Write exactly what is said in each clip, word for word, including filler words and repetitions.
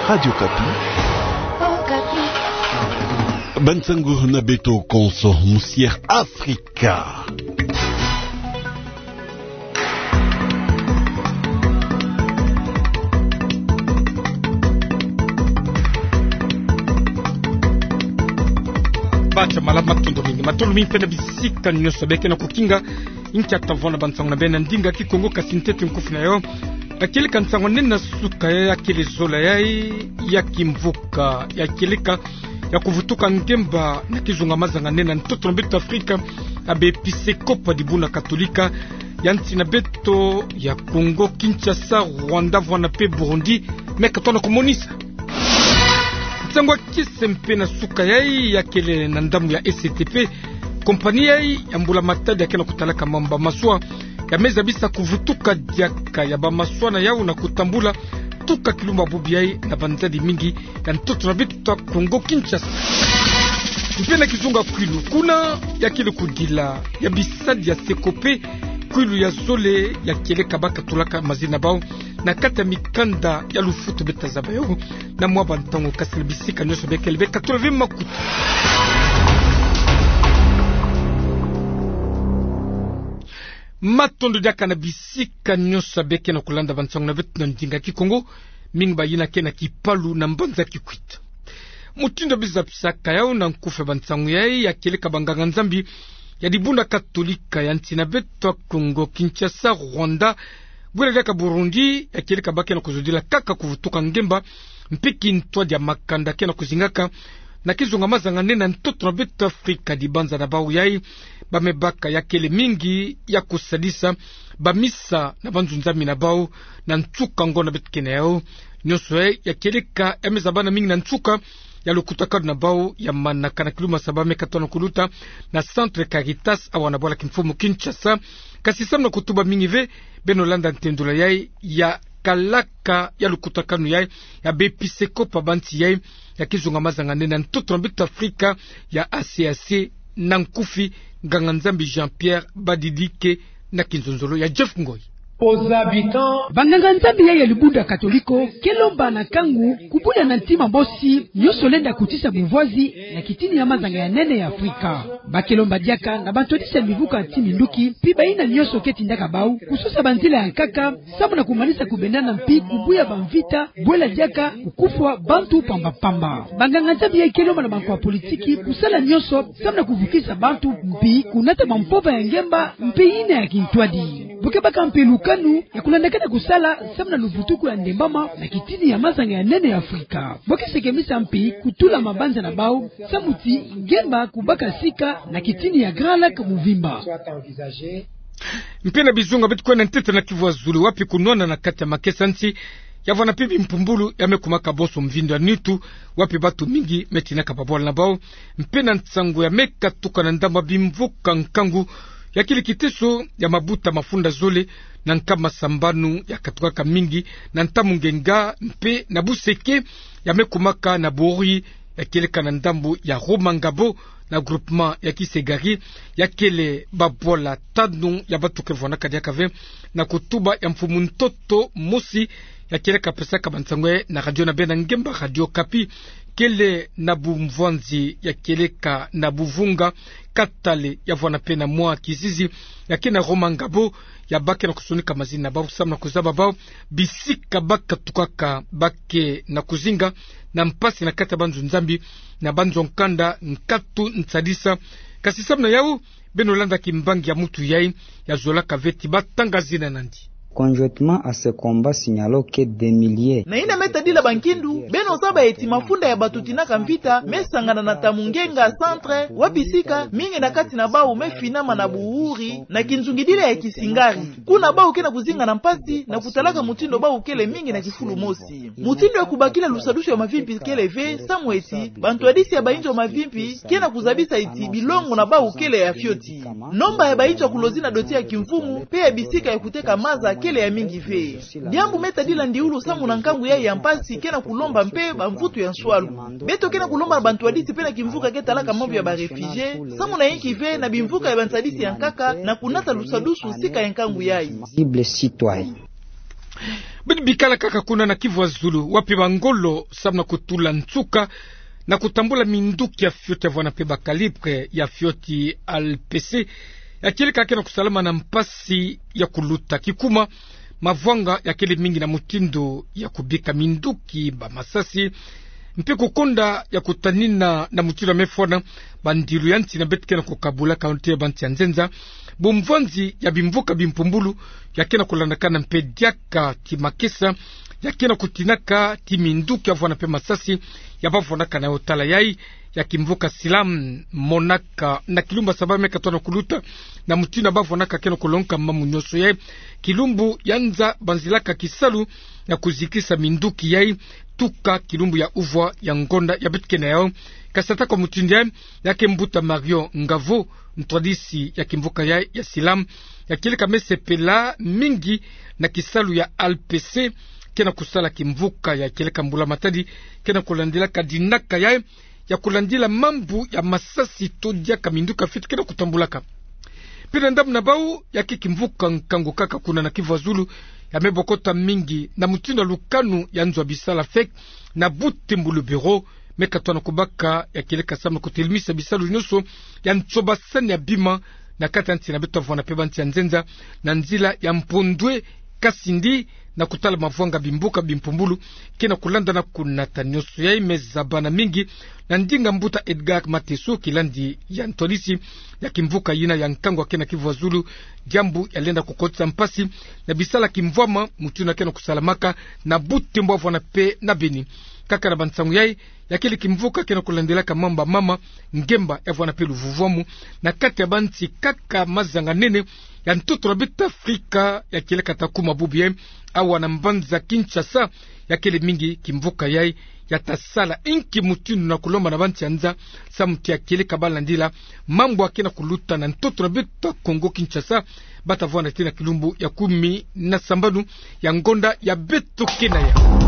Radio Okapi. Bansango na beto konso, Musière Afrika. Bata malamu, matondo mingi. Matondo mingi mpe na bisika nyonso beke na kukinga inkia tavona bansango na beno na ndinga Kikongo, kasi ntete nkufi na yo. Ya kieleka nsango nene na suka ya, ya kele zola ya, ya kimvuka ya kieleka ya kuvutuka ngemba na kizunga mazanga nene na ntoto na beto Afrika, ya baepisekopo ya dibundu katolika ya nsi na beto ya Kongo Kinshasa, Rwanda, vwanda mpe Burundi, meka tona kumonisa. Nsango ya kese mpe na suka ya, ya kele na ndambu ya S T P, kompani ya, ya mbula matadi ya ke na kutalaka mambu ya maswa, ya me zabisa kuvutuka diaka ya bamaswa na yau na kutambula tuka kilumbu bubu ya na banzadi mingi ya ntoto na beto Kongo Kinshasa. Mpe na kizunga kwilu, kuna ya kele kudila ya bisadi ya sekope kwilu ya zole ya kieleka ba katulaka mazina na bau na kati ya mikanda ya lufutu, beta zaba yo na mwa bantango, kasi na bisika nyonso bekele be katula ve makutu. Matondo diaka na bisika nyonso beke na kulanda bansango na beto na ndinga Kikongo, mingi bayina ke na Kipalu na mbanza Kikwit. Mutindu bizapisaka yau na nkufi ya bansango ya, ya kieleka banganga-Nzambi ya dibundu katolika ya nsi na beto Kongo Kinshasa, Rwanda, bwela diaka Burundi, ya kieleka ba ke na kuzodila kaka kuvutuka ngemba mpe kintwadi ya makanda ke na kuzingaka na kizunga mazanga nene na ntoto na beto Afrika. Dibanza na bau ya, ba me baka ya kele mingi ya kusadisa bamisa na banzo-Nzambi na bau na nsuka ngonda beto ke na yau. Nyonso ya, ya kieleka ya me zabana mingi na nsuka ya lukutakanu na bau ya manaka na kilumbu saba meka tona kuluta na Centre Caritas awa na bwala kimfumu Kinshasa. Kasi samu na kutuba mingi ve, beno landa ntendula ya, ya kalaka ya lukutakanu ya, ya baepisekopo ya bansi ya, ya kizunga mazanga nene na ntoto na beto Afrika ya A C A C, na nkufi, nganga-Nzambi Jean-Pierre Badidike na kinzonzolo ya Jeff Ngoy. Banganga-Nzambi ya, ya dibundu katoliko ke lomba na nkangu kubula na ntima mosi nyonso lenda kutisa buvwazi na kitini ya mazanga ya nene ya Afrika. Ba ke lomba diaka na bantwadisi ya mivuka ti minduki, mpi bayina nyonso ke tindaka bau, kusosa banzila ya nkaka, samu na kumanisa kubendana mpi kubuya bamvita, bwela diaka kukufwa bantu pamba-pamba. Banganga-Nzambi ya ke lomba na bankwa politiki kusala nyonso samu na kuvukisa bantu mpi kunata bampova ya ngemba mpe yina ya kintwadi. Bo ke baka mpe lukanu ya kulandakana kusala samu na luvutuku ya ndembama na kitini ya mazanga ya nene ya Afrika. Bo ke sekemisa mpi kutula mabanza na bau samu ti ngemba kubaka sika na kitini ya Grand Lac muvimba. Mpe na bizunga beto kwenda ntete na Kivu ya Zulu, wapi kunwana na kati ya makesa-nsi ya vwanda mpe bimpumbulu ya me kumaka bonso mvindu ya nitu, wapi bantu mingi me tinaka babwala na bau. Mpe na nsangu ya me katuka na ndambu ya bimvuka nkangu, ya kele kiteso ya mabuta mafunda zole na nkama sambanu ya katukaka mingi na ntamu ngenga mpe na buseke, ya me kumaka na bori ya kieleka na ndambu ya Rumangabo, na groupement ya Kisegari, ya kele babwala tanu ya bantu ke vwandaka diaka ve na kutuba ya mfumu ntoto mosi ya kieleka pesaka bansangu na radio na beno na ngemba Radio Okapi, kele na bumvwanzi ya kieleka na buvunga katale ya vwanda mpe na mwa kizizi ya ke na Rumangabo, ya ba ke na kusonika mazina na bau samu na kuzaba bau bisika ba katukaka, ba ke na kuzinga na mpasi na kati ya banzo-Nzambi na banzo-nkanda, nkatu, nsadisa. Kasi samu na yau, beno landa kimbangi ya mutu yai ya zolaka ve ti ba tanga zina nandi. Conjointement à ce combat, signalons que des milliers. Na yina me tadila bankindu, beno zaba eti mafunda ya bantu tinaka mvita me sangana na Tamungenga centre, wapi sika mingi na kati na bau me finama na buhuri na kinzungidila ya Kisingari. Kuna bau ke na kuzinga na mpasi na kutalaka mutindu bau kele mingi na kifulu mosi. Mutindu ya kubakila lusadusu ya mavimpi kele ve, samu eti bantwadisi ya bayinzo mavimpi ke na kuzabisa eti bilongo na bau kele ya fioti. Nomba ya bayinzo ya kulozi na doti ya kimfumu mpe ya bisika ya kuteka maza kele ya mingi ve. Diambu me tadila ndiulu samu na nkangu yai ya mpasi ke na kulomba mpe bamvutu ya nswalu. Beto ke na kulomba na bantwadisi mpe na kimvuka ke talaka mambu ya ba réfugiés, samu na yinki ve na bimvuka ya bansadisi ya nkaka na kunata lusadusu sika ya nkangu yai. Sensible citoyen. Beno bikala kaka kuna na Kivu ya Zulu, wapi bangolo samu na kutula nsuka na kutambula minduki ya fioti ya vwanda mpe ba calibre ya fioti A L P C, ya kieleka ke na kusalama na mpasi ya kuluta. Kikuma, mavwanga yakele mingi na mutindu ya kubika minduki, bamasasi, mpe kukonda ya kutanina na mutindu ya me fwana bandilu ya nsi na beto ke na kukabula, ka nte ya bansi ya nzenza. Bumvwanzi ya bimvuka bimpumbulu ya ke na kulandakana mpe diaka ti makesa, ya ke na kutinaka ti minduki ya vwanda mpe masasi ya bavwandaka na yo. Tala yai ya kimvuka Silam, monaka na kilumbu ya saba me katona kuluta, na mutindu ya bavwandaka ke na kulongoka mambu nyonso yai. Kilumbu ya nza banzilaka kisalu ya kuzikisa minduki yai, tuka kilumbu ya uvwa ya ngonda ya beto ke na yo. Kasi ata kwa mutindu yai, ya ke mbuta Mario Ngavo, ntwadisi ya kimvuka yai ya Silam, ya kieleka me sepela mingi na kisalu ya A L P C ke na kusala. Kimvuka ya kieleka mbula matadi ke na kulandilaka dinaka yai ya kulandila mambu ya masasi to diaka minduki ya fioti ke na kutambulaka. Mpe na ndambu na bau, ya ke kimvuka Nkangu kaka kuna na Kivu ya Zulu, ya me bokota mingi na mutindu ya lukanu ya nzo ya bisala fek na Butembo. Le Bureau me katona kubaka ya kieleka samu na kutelemisa bisalu nyonso ya nsobasani ya bima na kati ya nsi na beto ya vwanda mpe bansi ya nzenza, na nzila ya Mpondwe Kasindi, na kutala mavwanga bimvuka bimpumbulu ke na kulandana kuna. Ta nyonso yai me zabana mingi na ndinga mbuta Edgar Mateso, kilandi ya ntwadisi ya kimvuka yina ya Nkangu ya ke na Kivu ya Zulu, diambu ya lenda kukotisa mpasi na bisala kimvwama mutindu ya ke na kusalamaka na Butembo ya vwanda mpe na Beni. Kaka na bansangu yai, ya kele kimvuka ke na kulandilaka mambu ya mama, ngemba ya vwanda mpe luvuvwamu na kati ya bansi kaka mazanga nene ya ntoto na beto Afrika, ya kieleka ta kuma bubu yai, awa na mbanza Kinshasa. Ya kele mingi kimvuka yai ya ta sala inki mutindu na kulomba na bansi ya nza samu ti ya kieleka balandila mambu ya ke na kuluta na ntoto na beto Kongo Kinshasa, ba ta vwanda ti na kilumbu ya kumi na sambanu ya ngonda ya beto ke na yau.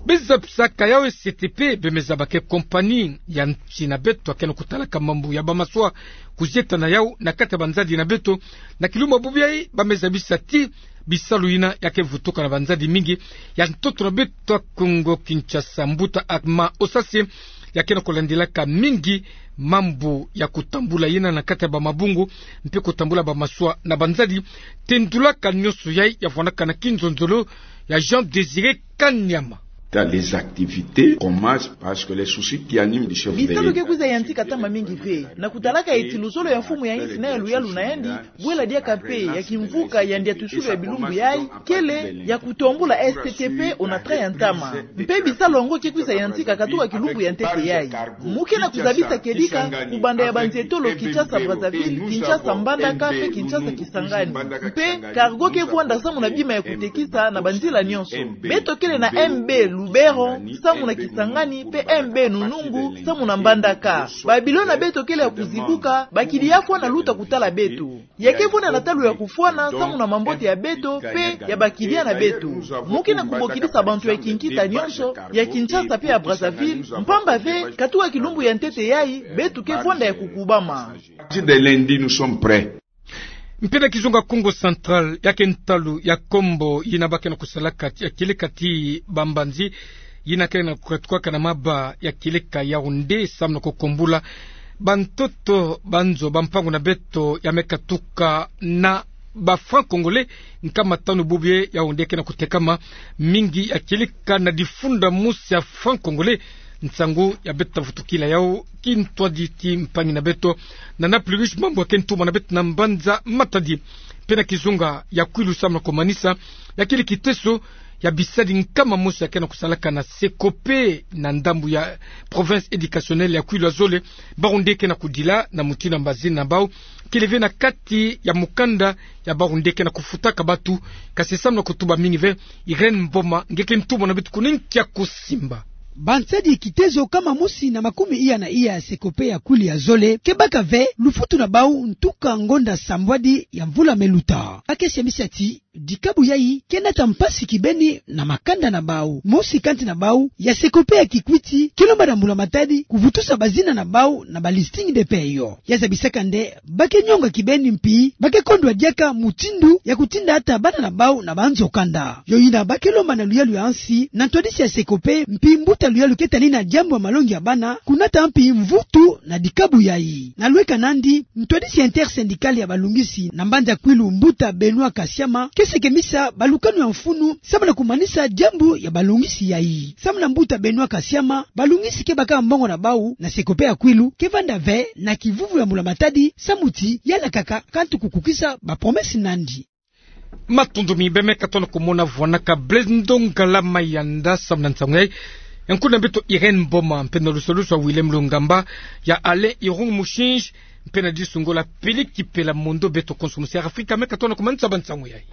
Bezabisaka yau S T P, be me zaba ke compagnie ya nsi na beto ya ke na kutalaka mambu ya bamaswa kuzieta na yau na kati ya banzadi na beto. Na kilumbu ya bubu yai ba me zabisa ti bisalu yina ya ke vutuka na banzadi mingi ya ntoto na beto Kongo Kinshasa. Mbuta Armand Osase, ya ke na kulandilaka mingi mambu ya kutambula yina na kati ya bamabungu mpe kutambula bamaswa na banzadi, tendulaka nyonso yai ya vwandaka na kinzonzolo ya Jean Désiré Kanyama. Dans les activités, commence parce que les soucis qui animent le chef de l'État. Bisalu ke kwiza yantika ntama mingi ve. Na kutalaka eti luzolo ya mfumu ya insi na ya luyalu na yandi, bwela diaka mpe ya kimvuka ya ndiatusulu ya bilumbu yai, kele ya kutombula S T P ona train ya ntama. Mpe bisalu yango ke kwiza yantika katuka kilumbu ya ntete yai. Mu ke na kuzabisa kedika, kubanda ya banzetolo Kinshasa Brazzaville, Kinshasa Mbandaka, mpe Kinshasa Kisangani. Mpe cargo ke vwanda samu na bima ya kutekisa na banzila nyonso. Beto kele na M B Lubero, samu na Kisangani, mpe M B Nunungu, samu na Mbandaka. Ba bilo na beto kele ya kuzibuka, bakidi ya fwana luta kutala beto. Ya ke vwanda na ntalu ya kufwana samu na mambote ya beto mpe ya bakidia na beto. Mu ke na kubokidisa bantu ya kinkita nyonso ya Kinshasa mpe ya Brazzaville, mpamba ve katuka kilumbu ya ntete yai beto ke vwanda ya kukubama. Partir de lundi, nous sommes prêts. Mpe na kizunga Kongo Central, ya ke ntalu ya Kombo yina ba ke na kusalaka ya kieleka ti bambanzi, yina ke na kukatukaka na maba ya kieleka Yaoundé, samu na kukombula bantoto, banzo, bampangu na beto ya me katuka na ba francs congolais nkama tanu. Bubu yai Yaoundé ke na kutekama mingi ya kieleka na difunda mosi ya francs congolais. Nsangu ya beto ta vutukila yau kintwadi ti mpangi na beto, Nana Pluriche Mambu, ya ke ntumwa na beto na mbanza Matadi. Mpe na kizunga ya Kwilu, samu na kumanisa, ya kele kiteso ya bisadi nkama mosi ya ke na kusalaka na Secope na ndambu ya province éducationnelle ya Kwilu ya zole. Bawu nde ke na kudila na mutindu ya mbazini na bawu, kele ve na kati ya mukanda ya bawu nde ke na kufutaka batu. Kasi samu na kutuba mingi ve, Irène Mboma, nge ke ntumwa na beto kuna nkia kusimba. Bansadi kiteso nkama mosi na makumi iya na iya ya Secope ya Kwilu ya zole ke baka ve lufutu na bawu ntuka ngonda sambwadi ya mvula me luta. Ba ke semisa ti dikabu yayi ke nata mpasi kibeni na makanda na bau. Mosi kanti na bau ya Secope ya Kikwit ke lomba na mbula matadi kuvutusa bazina na bau na ba listing de paie. Ya zabisaka nde ba ke nyonga kibeni mpi ba ke kondwa diaka mutindu ya kutinda ata bana na bau na banzo kanda. Yo yina ba ke lomba na luyalu ya nsi na ntwadisi ya Secope mpi mbuta luyalu ke tanina diambu ya malongi ya bana, kunata mpi mvutu na dikabu yayi. Na lweka nandi, ntwadisi ya Intersyndical ya balungisi na mbanza Kwilu, mbuta Benoît Kasiama, ke sekemisa balukanu ya mfunu samu na kumanisa diambu ya balungisi yayi. Samu na mbuta Benoît Kasiama, balungisi ke baka mbongo na bau na Secope ya Kwilu ke vanda ve na kivuvu ya mbula matadi, samu ti yalakaka kantu kukukisa ba promesse nandi. Matondo mi bemeka tona kumona vwanaka Blaise Ndongala Mayanda samu na nsangu yayi. Nkuna beto Irène Mboma, mpe na lusalusu ya Willem Lungamba, ya Alain Irung Mushinji, mpe na disu ngolo Pili Kipela. Mondo beto konso musi ya Afrika meka tona kumanisa ba nsangu yayi.